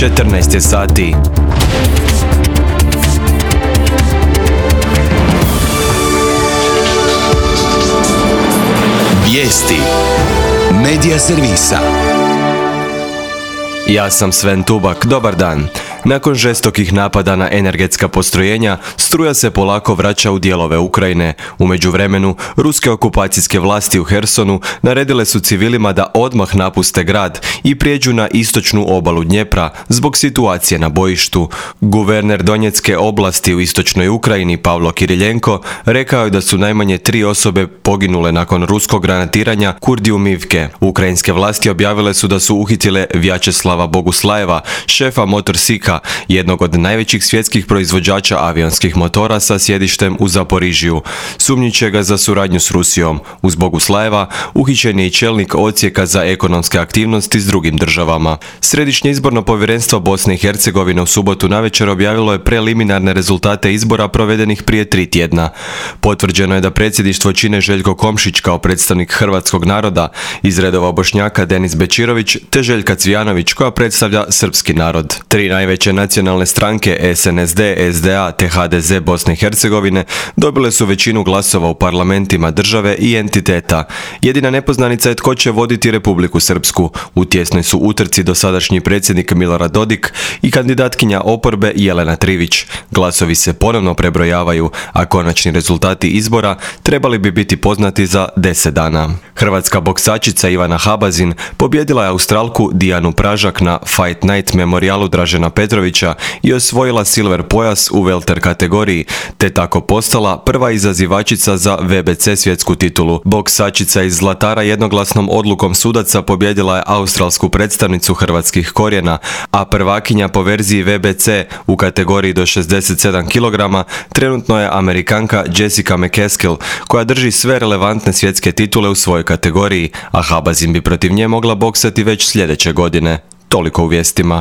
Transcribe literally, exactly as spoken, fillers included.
četrnaest je sati. Vijesti Medija servisa. Ja sam Sven Tubak, dobar dan. Nakon žestokih napada na energetska postrojenja, struja se polako vraća u dijelove Ukrajine. U međuvremenu, ruske okupacijske vlasti u Hersonu naredile su civilima da odmah napuste grad i prijeđu na istočnu obalu Dnjepra zbog situacije na bojištu. Guverner Donjecke oblasti u istočnoj Ukrajini Pavlo Kiriljenko rekao je da su najmanje tri osobe poginule nakon ruskog granatiranja Kurdijumivke. Ukrajinske vlasti objavile su da su uhitile Vjačeslava Boguslajeva, šefa Motorsika, jednog od najvećih svjetskih proizvođača avionskih motora sa sjedištem u Zaporižiju. Sumnjiče ga za suradnju s Rusijom. Uz Boguslajeva uhićen je i čelnik odsjeka za ekonomske aktivnosti s drugim državama. Središnje izborno povjerenstvo Bosne i Hercegovine u subotu navečer objavilo je preliminarne rezultate izbora provedenih prije tri tjedna. Potvrđeno je da predsjedništvo čine Željko Komšić kao predstavnik hrvatskog naroda, iz redova Bošnjaka Denis Bečirović te Željka Cvijanović koja predstavlja srpski narod. Tri najveće nacionalne stranke S N S D, S D A te H D Z Bosne i Hercegovine dobile su većinu glasova u parlamentima države i entiteta. Jedina nepoznanica je tko će voditi Republiku Srpsku. U tjesnoj su utrci dosadašnji predsjednik Milorad Dodik i kandidatkinja oporbe Jelena Trivić. Glasovi se ponovno prebrojavaju, a konačni rezultati izbora trebali bi biti poznati za deset dana. Hrvatska boksačica Ivana Habazin pobjedila je Australku Dijanu Pražak na Fight Night memorijalu Dražena Petrovića i osvojila silver pojas u welter kategoriji, te tako postala prva izazivačica za V B C svjetsku titulu. Boksačica iz Zlatara jednoglasnom odlukom sudaca pobjedila je australsku predstavnicu hrvatskih korijena, a prvakinja po verziji V B C u kategoriji do šezdeset sedam kilograma trenutno je Amerikanka Jessica McCaskill, koja drži sve relevantne svjetske titule u svojoj kategoriji, a Habazin bi protiv nje mogla boksati već sljedeće godine. Toliko u vijestima.